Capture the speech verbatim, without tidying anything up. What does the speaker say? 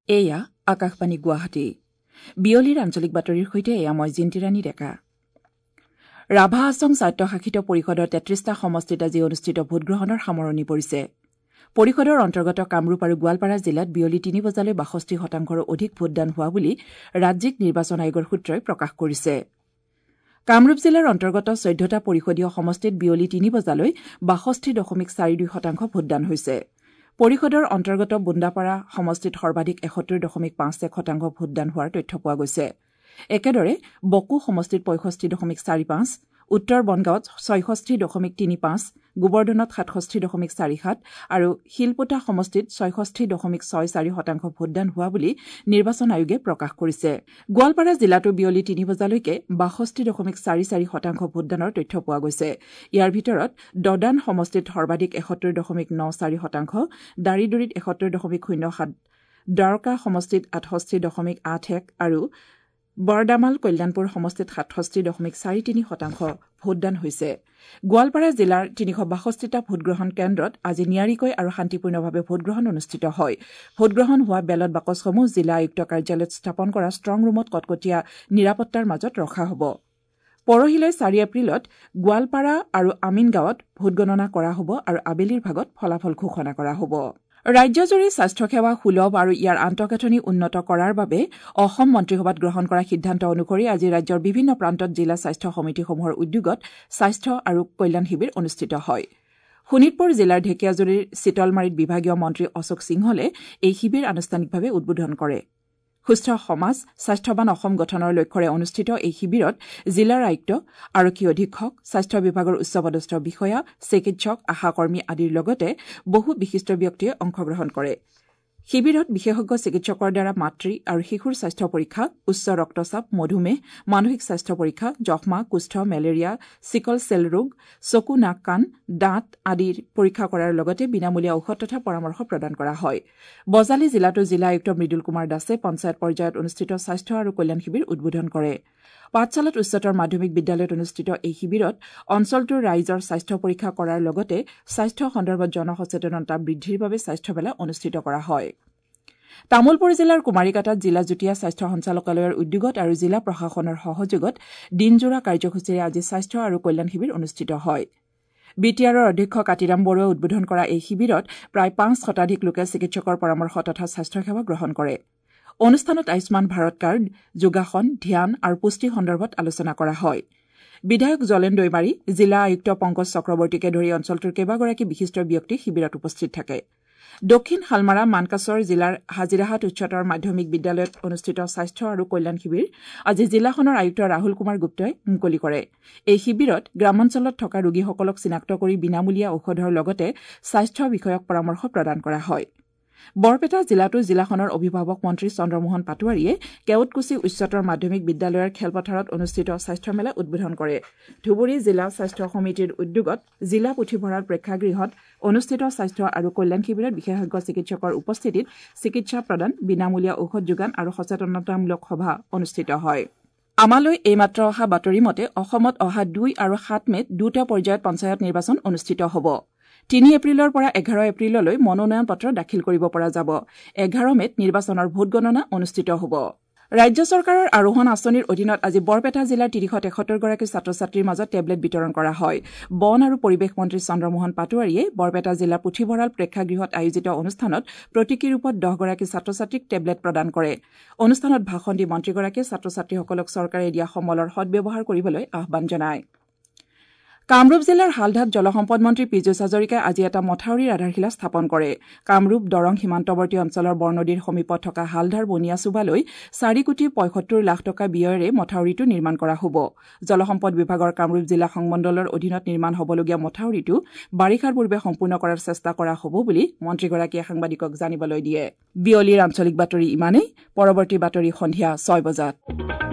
এয়া আকাশবাণী গুৱাহাটী। বিয়লিৰ আঞ্চলিক বাতৰিৰ সৈতে এয়া মই জিন্তিৰাণী ডেকা। ৰাভা হাছং স্বায়ত্তশাসিত পৰিষদৰ তেত্ৰিশটা সমষ্টিত আজি অনুষ্ঠিত ভোটগ্ৰহণৰ সামৰণি পৰিছে। পৰিষদৰ অন্তৰ্গত কামৰূপ আৰু গোৱালপাৰা জিলাত বিয়লি তিনি বজালৈ বাষষ্ঠি শতাংশৰো অধিক ভোটদান হোৱা বুলি ৰাজ্যিক নিৰ্বাচন আয়োগৰ সূত্ৰই প্ৰকাশ কৰিছে। কামৰূপ জিলাৰ অন্তৰ্গত চৈধ্যটা পৰিষদীয় সমষ্টিত বিয়লি তিনি বজালৈ বাষষ্ঠি দশমিক চাৰি দুই শতাংশ ভোটদান হৈছে। পৰিষদৰ অন্তৰ্গত বুন্দাপাৰা সমষ্টিত সৰ্বাধিক এসত্তৰ দশমিক পাঁচ এক শতাংশ ভোটদান হোৱাৰ তথ্য পোৱা গৈছে। একেদৰে বকো সমষ্টিত পঁয়ষষ্ঠি দশমিক চাৰি পাঁচ, উত্তৰ বনগাঁৱত ছয়ষষ্ঠি দশমিক তিনি পাঁচ, গোবৰ্ধনত সাতষষ্ঠি দশমিক চাৰি সাত আৰু শিলপোটা সমষ্টিত ছয়ষষ্ঠি দশমিক ছয় চাৰি শতাংশ ভোটদান হোৱা বুলি নিৰ্বাচন আয়োগে প্ৰকাশ কৰিছে। গোৱালপাৰা জিলাতো বিয়লি তিনি বজালৈকে বাষষ্ঠি দশমিক চাৰি চাৰি শতাংশ ভোটদানৰ তথ্য পোৱা গৈছে। ইয়াৰ ভিতৰত দদান সমষ্টিত সৰ্বাধিক এসত্তৰ দশমিক ন চাৰি শতাংশ, দাৰিদুৰিত এসত্তৰ দশমিক শূন্য সাত, দ্বাৰকা সমষ্টিত আঠষষ্ঠি দশমিক আঠ এক আৰু বৰদামাল কল্যাণপুৰ সমষ্টিত সাতষষ্ঠি দশমিক চাৰি তিনি শতাংশ ভোটদান হৈছে। গোৱালপাৰা জিলাৰ তিনিশ বাষষ্ঠিটা ভোটগ্ৰহণ কেন্দ্ৰত আজি নিয়াৰিকৈ আৰু শান্তিপূৰ্ণভাৱে ভোটগ্ৰহণ অনুষ্ঠিত হয়। ভোটগ্ৰহণ হোৱা বেলট বাকচসমূহ জিলা আয়ুক্ত কাৰ্যালয়ত স্থাপন কৰা ষ্ট্ৰং ৰুমত কটকটীয়া নিৰাপত্তাৰ মাজত ৰখা হ'ব। পৰহিলৈ চাৰি এপ্ৰিলত গোৱালপাৰা আৰু আমিনগাঁৱত ভোটগণনা কৰা হ'ব আৰু আবেলিৰ ভাগত ফলাফল ঘোষণা কৰা হ'ব। ৰাজ্যজুৰি স্বাস্থ্যসেৱা সুলভ আৰু ইয়াৰ আন্তঃগাঁথনি উন্নত কৰাৰ বাবে অসম মন্ত্ৰীসভাত গ্ৰহণ কৰা সিদ্ধান্ত অনুসৰি আজি ৰাজ্যৰ বিভিন্ন প্ৰান্তত জিলা স্বাস্থ্য সমিতিসমূহৰ উদ্যোগত স্বাস্থ্য আৰু কল্যাণ শিবিৰ অনুষ্ঠিত হয়। শোণিতপুৰ জিলাৰ ঢেকীয়াজুলিৰ চিতলমাৰীত বিভাগীয় মন্ত্ৰী অশোক সিংহলে এই শিবিৰ আনুষ্ঠানিকভাৱে উদ্বোধন কৰে। সুস্থ সমাজ স্বাস্থ্যৱান অসম গঠনৰ লক্ষ্যৰে অনুষ্ঠিত এই শিবিৰত জিলাৰ আয়ুক্ত, আৰক্ষী অধীক্ষক, স্বাস্থ্য বিভাগৰ উচ্চপদস্থ বিষয়া, চিকিৎসক, আশাকৰ্মী আদিৰ লগতে বহু বিশিষ্ট ব্যক্তিয়ে অংশগ্ৰহণ কৰে। শিবিৰত বিশেষজ্ঞ চিকিৎসকৰ দ্বাৰা মাতৃ আৰু শিশুৰ স্বাস্থ্য পৰীক্ষা, উচ্চ ৰক্তচাপ, মধুমেহ, মানসিক স্বাস্থ্য পৰীক্ষা, যক্ষ্মা, কুষ্ঠ, মেলেৰিয়া, চিকল চেল ৰোগ, চকু, নাক, কাণ, দাঁত আদিৰ পৰীক্ষা কৰাৰ লগতে বিনামূলীয়া ঔষধ তথা পৰামৰ্শ প্ৰদান কৰা হয়। বজালী জিলাতো জিলা আয়ুক্ত মৃদুল কুমাৰ দাসে পঞ্চায়ত পৰ্যায়ত অনুষ্ঠিত স্বাস্থ্য আৰু কল্যাণ শিবিৰ উদ্বোধন কৰে। পাঠশালাত উচ্চতৰ মাধ্যমিক বিদ্যালয়ত অনুষ্ঠিত এই শিবিৰত অঞ্চলটোৰ ৰাইজৰ স্বাস্থ্য পৰীক্ষা কৰাৰ লগতে স্বাস্থ্য সন্দৰ্ভত জনসচেতনতা বৃদ্ধিৰ বাবে স্বাস্থ্য মেলা অনুষ্ঠিত কৰা হয়। তামুলপুৰ জিলাৰ কুমাৰীকাটাত জিলা যুটীয়া স্বাস্থ্য সঞ্চালকালয়ৰ উদ্যোগত আৰু জিলা প্ৰশাসনৰ সহযোগত দিনজোৰা কাৰ্যসূচীৰে আজি স্বাস্থ্য আৰু কল্যাণ শিবিৰ অনুষ্ঠিত হয়। বি টি আৰৰ অধ্যক্ষ কাতিৰাম বৰুৱাই উদ্বোধন কৰা এই শিবিৰত প্ৰায় পাঁচ শতাধিক লোকে চিকিৎসকৰ পৰামৰ্শ তথা স্বাস্থ্যসেৱা গ্ৰহণ কৰে। অনুষ্ঠানত আয়ুষ্মান ভাৰত কাৰ্ড, যোগাসন, ধ্যান আৰু পুষ্টি সন্দৰ্ভত আলোচনা কৰা হয়। বিধায়ক জলেন দৈমাৰী, জিলা আয়ুক্ত পংকজ চক্ৰৱৰ্তীকে ধৰি অঞ্চলটোৰ কেইবাগৰাকী বিশিষ্ট ব্যক্তি শিবিৰত উপস্থিত থাকে। দক্ষিণ শালমাৰা মানকাচৰ জিলাৰ হাজিৰাহাট উচ্চতৰ মাধ্যমিক বিদ্যালয়ত অনুষ্ঠিত স্বাস্থ্য আৰু কল্যাণ শিবিৰ আজি জিলাখনৰ আয়ুক্ত ৰাহুল কুমাৰ গুপ্তই মুকলি কৰে। এই শিবিৰত গ্ৰামাঞ্চলত থকা ৰোগীসকলক চিনাক্ত কৰি বিনামূলীয়া ঔষধৰ লগতে স্বাস্থ্য বিষয়ক পৰামৰ্শ প্ৰদান কৰা হয়। বৰপেটা জিলাতো জিলাখনৰ অভিভাৱক মন্ত্ৰী চন্দ্ৰমোহন পাটোৱাৰীয়ে কেওটকুছি উচ্চতৰ মাধ্যমিক বিদ্যালয়ৰ খেলপথাৰত অনুষ্ঠিত স্বাস্থ্য মেলা উদ্বোধন কৰে। ধুবুৰী জিলা স্বাস্থ্য সমিতিৰ উদ্যোগত জিলা পুথিভঁৰাল প্ৰেক্ষাগৃহত অনুষ্ঠিত স্বাস্থ্য আৰু কল্যাণ শিবিৰত বিশেষজ্ঞ চিকিৎসকৰ উপস্থিতিত চিকিৎসা প্ৰদান, বিনামূলীয়া ঔষধ যোগান আৰু সচেতনতামূলক সভা অনুষ্ঠিত হয়। আমালৈ এইমাত্ৰ অহা বাতৰি মতে অসমত অহা দুই আৰু সাত মে'ত দুটা পৰ্যায়ত পঞ্চায়ত নিৰ্বাচন অনুষ্ঠিত হ'ব। তিনি এপ্ৰিলৰ পৰা এঘাৰ এপ্ৰিললৈ মনোনয়ন পত্ৰ দাখিল কৰিব পৰা যাব। এঘাৰ মে'ত নিৰ্বাচনৰ ভোটগণনা অনুষ্ঠিত হ'ব। ৰাজ্য চৰকাৰৰ আৰোহণ আঁচনিৰ অধীনত আজি বৰপেটা জিলাৰ তিনিশ তেসত্তৰগৰাকী ছাত্ৰ ছাত্ৰীৰ মাজত টেবলেট বিতৰণ কৰা হয়। বন আৰু পৰিৱেশ মন্ত্ৰী চন্দ্ৰমোহন পাটোৱাৰীয়ে বৰপেটা জিলাৰ পুথিভঁৰাল প্ৰেক্ষাগৃহত আয়োজিত অনুষ্ঠানত প্ৰতীকী ৰূপত দহগৰাকী ছাত্ৰ ছাত্ৰীক টেবলেট প্ৰদান কৰে। অনুষ্ঠানত ভাষণ দি মন্ত্ৰীগৰাকীয়ে ছাত্ৰ ছাত্ৰীসকলক চৰকাৰে দিয়া সমলৰ সদ্ব্যৱহাৰ কৰিবলৈ আহ্বান জনায়। কামৰূপ জিলাৰ হালধাত জলসম্পদ মন্ত্ৰী পীযুষ হাজৰিকাই আজি এটা মথাউৰিৰ আধাৰশিলা স্থাপন কৰে। কামৰূপ দৰং সীমান্তৱৰ্তী অঞ্চলৰ বৰনদীৰ সমীপত থকা হালধাৰ বনিয়াচুবালৈ চাৰি কোটি পঁয়সত্তৰ লাখ টকা ব্যয়েৰে মথাউৰিটো নিৰ্মাণ কৰা হ'ব। জলসম্পদ বিভাগৰ কামৰূপ জিলা সংমণ্ডলৰ অধীনত নিৰ্মাণ হ'বলগীয়া মথাউৰিটো বাৰিষাৰ পূৰ্বে সম্পূৰ্ণ কৰাৰ চেষ্টা কৰা হ'ব বুলি মন্ত্ৰীগৰাকীয়ে সাংবাদিকক জানিবলৈ দিয়ে। বিয়লিৰ আঞ্চলিক বাতৰি ইমানেই। পৰৱৰ্তী বাতৰি সন্ধিয়া ছয় বজাত।